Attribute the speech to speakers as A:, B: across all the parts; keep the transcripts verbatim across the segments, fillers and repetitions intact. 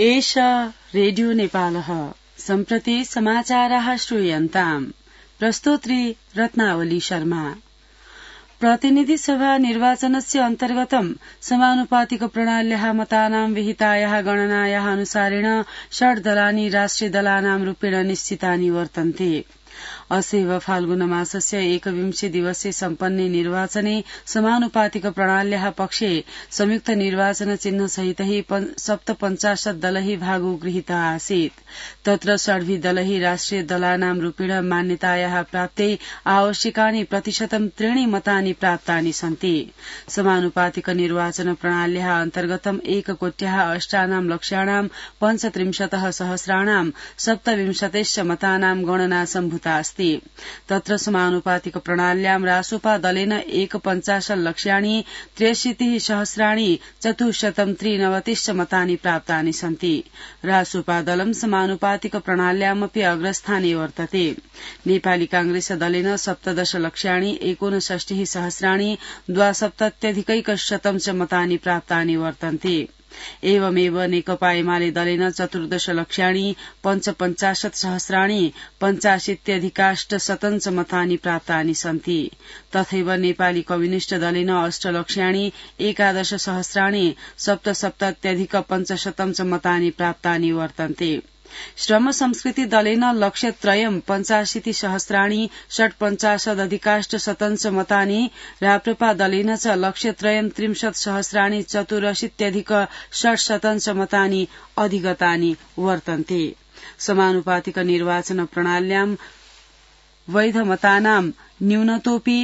A: एष रेडियो नेपालः सम्प्रति समाचाराः श्रूयन्ताम्। प्रस्तोत्री रत्नावली शर्मा। प्रतिनिधि सभा निर्वाचनस्य अन्तर्गतं समानुपातिक प्रणाल्याः मतानां विहितायाः गणनायाः अनुसारेण षड् दलानि राष्ट्रिय दलानां रूपेण निश्चितानि वर्तन्ते। अस्यैव फाल्गुन मासस्य एकविंशे दिवसे सम्पन्ने निर्वाचने समानुपातिक प्रणाल्याः पक्षे संयुक्त निर्वाचन चिन्ह सहितै सप्तपञ्चाशत् दलैः भागो गृहीतः आसीत्। तत्र षड्भिः दलैः राष्ट्रिय दलानां रूपेण मान्यतायाः प्राप्त्यै आवश्यकानि प्रतिशतं त्रीणि मतानि प्राप्तानि सन्ति। समानुपातिक निर्वाचन प्रणाल्याः अन्तर्गतं एककोट्याः अष्टानां लक्ष्याणां पञ्चत्रिंशतः सहस्राणां सप्तविंशतिश्च मतानां गणना सम्भूता अस्ति। तत्र समानुपातिक प्रणाल्यां रासोपा दलेन एकपञ्चाशत् लक्ष्याणि त्र्यशीतिः सहस्राणि चतुश्शतं त्रिनवतिश्च मतानि प्राप्तानि सन्ति। रासोपा दलं समानुपातिक प्रणाल्यामपि अग्रस्थाने वर्तते। नेपाली कांग्रेस दलेन सप्तदश लक्ष्याणि एकोनषष्टिः सहस्राणि द्वासप्तत्यधिकैकशतं च मतानि प्राप्तानि वर्तन्ते। एवमेव नेकपा एमाले दलेन चतुर्दश लक्ष्याणि पञ्चपञ्चाशत् सहस्राणि पञ्चाशीत्यधिकाष्टशतं च मतानि प्राप्तानि सन्ति। तथैव नेपाली कम्युनिष्ट दलेन अष्ट लक्ष्याणि एकादश सहस्राणि सप्तसप्तत्यधिक पञ्चशतं च मतानि प्राप्तानि वर्तन्ते। श्रम संस्कृति दलेन लक्ष्यत्रयं पञ्चाशीति सहस्राणि षट्पञ्चाशदधिकाष्टशतं च मतानि, राप्रपा दलेन च लक्ष्यत्रयं त्रिंशत् सहस्राणि चतुरशीत्यधिक षट्शतं च मतानि अधिगतानि वर्तन्ते। समानुपातिक निर्वाचन प्रणाल्यां वैधमतानां न्यूनतोऽपि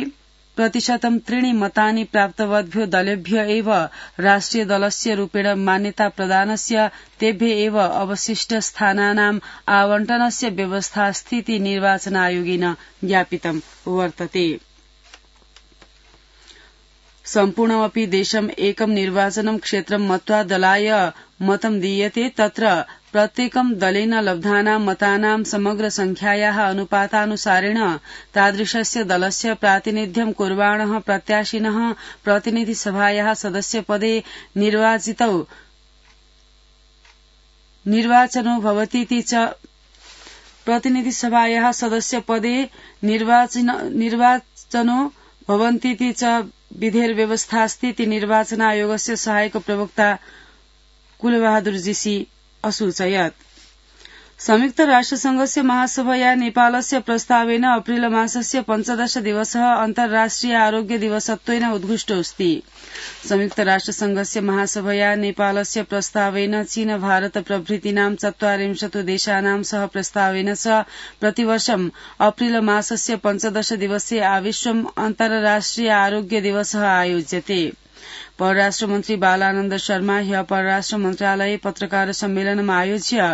A: प्रतिशतं त्रीणि मतानि प्राप्तवद्भ्यो दलेभ्य एव राष्ट्रिय दलस्य रूपेण मान्यता प्रदानस्य तेभ्य एव अवशिष्ट स्थानानाम् आवंटनस्य व्यवस्था स्थिति निर्वाचन आयोगेन ज्ञापितं वर्तते। सम्पूर्णमपि देशम् एकं निर्वाचनं क्षेत्रं मत्वा दलाय मतं दीयते। तत्र प्रत्येकं दलेन लब्धानां मतानां समग्र संख्यायाः अनुपातानुसारेण तादृशस्य दलस्य प्रातिनिध्यं कुर्वाणः प्रत्याशिनः प्रतिनिधि सभायाः सदस्यपदे निर्वाचितौ निर्वाचनो भवतीति च प्रतिनिधि सभायाः सदस्यपदे निर्वाचनो भवन्तीति च विधेर्व्यवस्थास्ति निर्वाचन आयोगस्य सहायक प्रवक्ता कुलबहादुर जीसी असूचयत्। संयुक्त राष्ट्रसंघस्य महासभया नेपालस्य प्रस्तावेन अप्रिल मासस्य पञ्चदश दिवसः अन्तर्राष्ट्रिय आरोग्य दिवसत्वेन उद्घुष्टोऽस्ति। संयुक्त राष्ट्रसंघस्य महासभया नेपालस्य प्रस्तावेन चीन भारत प्रभृतीनां चत्वारिंशत् देशानां सह प्रस्तावेन च प्रतिवर्षम् अप्रिल मासस्य पञ्चदश दिवसे आविश्वम् अन्तर्राष्ट्रिय आरोग्य दिवसः आयोज्यते। परराष्ट्र मन्त्री बालानन्द शर्मा ह्य परराष्ट्र मन्त्रालये पत्रकार सम्मेलनम् आयोज्य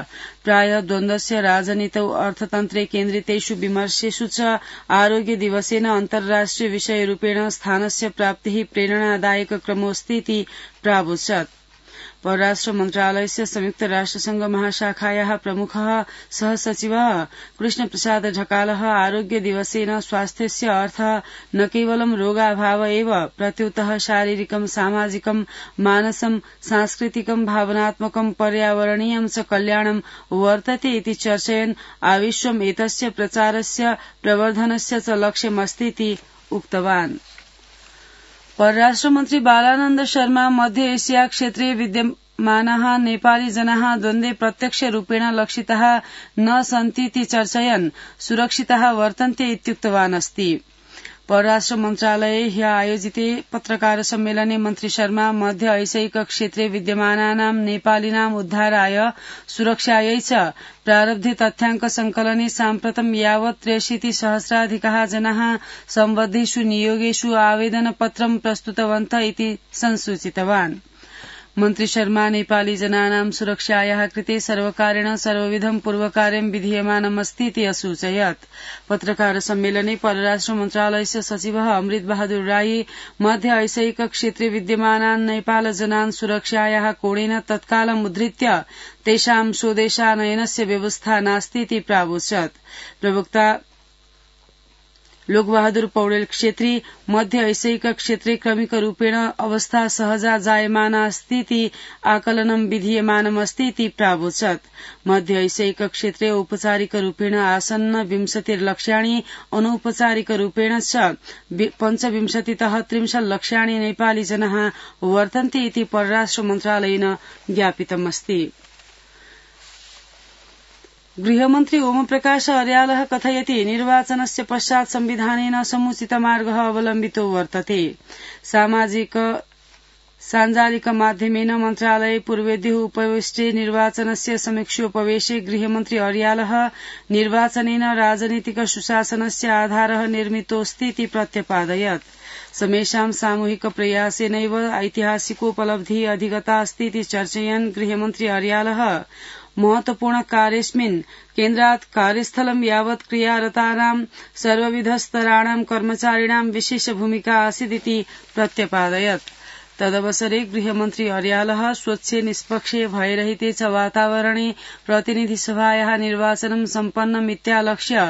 A: प्राय द्वन्द्वस्य राजनीतौ अर्थतन्त्रे केन्द्रितेषु विमर्शेषु च आरोग्य दिवसेन अन्तर्राष्ट्रिय विषयरूपेण स्थानस्य प्राप्तिः प्रेरणादायक क्रमोऽस्तीति प्रावोचत्। परराष्ट्र मन्त्रालयस्य संयुक्त राष्ट्रसंघ महाशाखायाः प्रमुखः सहसचिवः कृष्णप्रसाद ढकालः आरोग्य दिवसेन स्वास्थ्यस्य अर्थः न केवलं रोगाभाव एव प्रत्युतः शारीरिकं सामाजिकं मानसं सांस्कृतिकं भावनात्मकं पर्यावरणीयं च कल्याणं वर्तते इति चर्चयन् आविश्वम् एतस्य प्रचारस्य प्रवर्धनस्य च लक्ष्यमस्तीति उक्तवान्। परराष्ट्रमन्त्री बालानन्द शर्मा मध्य एशिया क्षेत्रे विद्यमानाः नेपाली जनाः द्वन्द्वे प्रत्यक्षरूपेण लक्षिताः न सन्तीति चर्चयन् सुरक्षिताः वर्तन्ते इत्युक्तवान् अस्ति। परराष्ट्र मन्त्रालये ह्य आयोजिते पत्रकार सम्मेलने मन्त्री शर्मा मध्य ऐशिक क्षेत्रे विद्यमानानां नेपालिनाम् उद्धाराय सुरक्षायै च प्रारब्धे तथ्याङ्क संकलने साम्प्रतं यावत् त्र्यशीति सहस्राधिकाः जनाः सम्बद्धेषु नियोगेषु आवेदनपत्रं प्रस्तुतवन्तः इति संसूचितवान्। मन्त्री शर्मा नेपाली जनानां सुरक्षायाः कृते सर्वकारेण सर्वविधं पूर्वकार्यं विधीयमानमस्तीति असूचयत्। पत्रकार सम्मेलने परराष्ट्र मन्त्रालयस्य सचिवः अमृत बहादुर राई मध्य ऐशिक क्षेत्रे विद्यमानान् नेपाल जनान् सुरक्षायाः कोणेन तत्कालम् उद्धृत्य तेषां स्वदेशानयनस्य व्यवस्था नास्तीति प्रावोचत्। प्रवक्ता लोकबहादुर पौडेल क्षेत्री मध्य ऐसैक क्षेत्रे क्रमिक रूपेण अवस्था सहजा जायमाना अस्तीति आकलनं विधीयमानमस्ति इति प्रावोचत्। मध्य ऐसैक क्षेत्रे औपचारिक रूपेण आसन्न विंशतिर्लक्ष्याणि अनौपचारिक रूपेण च पञ्चविंशतितः त्रिंशल्लक्ष्याणि नेपाली जनाः वर्तन्ते इति परराष्ट्र मन्त्रालयेन ज्ञापितमस्ति। गृहमन्त्री ओमप्रकाश अर्यालः कथयति निर्वाचनस्य पश्चात् संविधानेन समुचित मार्गः अवलम्बितो वर्तते। सामाजिक साञ्जालिक माध्यमेन मन्त्रालये पूर्वेद्युः उपविष्टे निर्वाचनस्य समीक्षोपवेशे गृहमन्त्री अर्यालः निर्वाचनेन राजनीतिक सुशासनस्य आधारः निर्मितोऽस्ति इति प्रत्यपादयत्। समेषां सामूहिक प्रयासेनैव ऐतिहासिकोपलब्धिः अधिगता अस्ति इति चर्चयन् गृहमन्त्री अर्यालः महत्वपूर्ण कार्येऽस्मिन् केन्द्रात् कार्यस्थलं यावत् क्रियारतानां सर्वविधस्तराणां कर्मचारिणां विशेष भूमिका आसीदिति प्रत्यपादयत्। तदवसरे गृहमन्त्री अर्यालः स्वच्छे निष्पक्षे भयरहिते च वातावरणे प्रतिनिधिसभायाः निर्वाचनं सम्पन्नमित्यालक्ष्य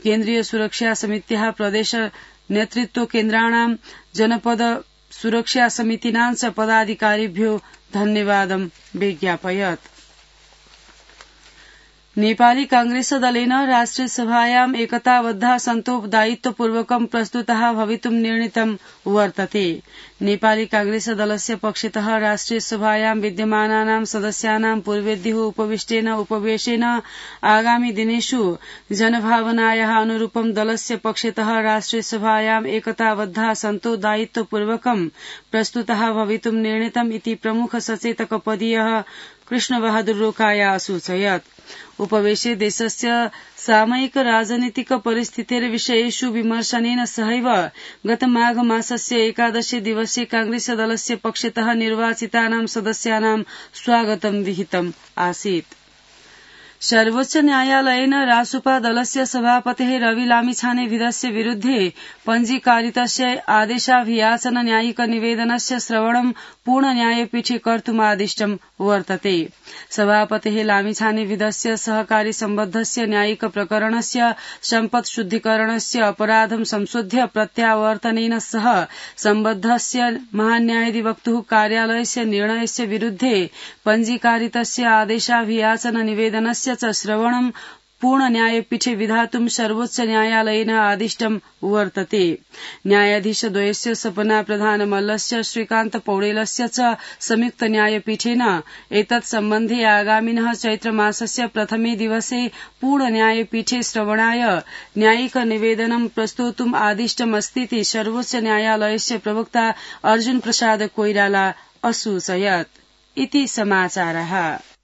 A: केन्द्रीय सुरक्षा समित्याः प्रदेश नेतृत्व केन्द्राणां जनपद सुरक्षा समितीनां च पदाधिकारिभ्यो धन्यवादं व्यज्ञापयत्। नेपाली कांग्रेस दलेन राष्ट्रिय सभायाम् एकताबद्धा सन्तो दायित्वपूर्वकं प्रस्तुतः भवितुं निर्णीतं वर्तते। नेपाली कांग्रेस दलस्य पक्षतः राष्ट्रिय सभायां विद्यमानानां सदस्यानां पूर्वेद्युः उपविष्टेन उपवेशेन आगामी दिनेषु जनभावनायाः अनुरूपं दलस्य पक्षतः राष्ट्रिय सभायाम् एकताबद्धा सन्तो दायित्वपूर्वकं प्रस्तुतः भवितुं निर्णीतम् इति प्रमुख सचेतकपदीयः कृष्णबहादुर रोकाया असूचयत्। उपवेशे देशस्य सामयिक राजनीतिक परिस्थितेर्विषयेषु विमर्शनेन सहैव गत माघ मासस्य एकादशे दिवसे कांग्रेस दलस्य पक्षतः निर्वाचितानां सदस्यानां स्वागतं विहितम् आसीत्। सर्वोच्च न्यायालयेन रासुपा दलस्य सभापतेः रवि लामिछानेविधस्य विरुद्धे पञ्जीकारितस्य आदेशाभियाचन न्यायिक निवेदनस्य श्रवणं पूर्ण न्यायपीठे कर्तुमादिष्टं वर्तते। सभापतेः लामिछानेविधस्य सहकारी सम्बद्धस्य न्यायिक प्रकरणस्य सम्पत् शुद्धिकरणस्य अपराधं संशोध्य प्रत्यावर्तनेन सह सम्बद्धस्य महान्यायाधिवक्तुः कार्यालयस्य निर्णयस्य विरुद्धे पञ्जीकारितस्य आदेशाभियाचन निवेदनस्य च श्रवणं पूर्ण न्यायपीठे विधातुं सर्वोच्च न्यायालयेन आदिष्टं वर्तते। न्यायाधीशद्वयस्य सपना प्रधानमल्लस्य श्रीकान्त पौडेलस्य च संयुक्त न्यायपीठेन एतत् सम्बन्धे आगामिनः चैत्रमासस्य प्रथमे दिवसे पूर्ण न्यायपीठे श्रवणाय न्यायिक निवेदनं प्रस्तोतुम् आदिष्टमस्तीति सर्वोच्च न्यायालयस्य प्रवक्ता अर्जुन प्रसाद कोइराला असूचयत्। इति समाचारः।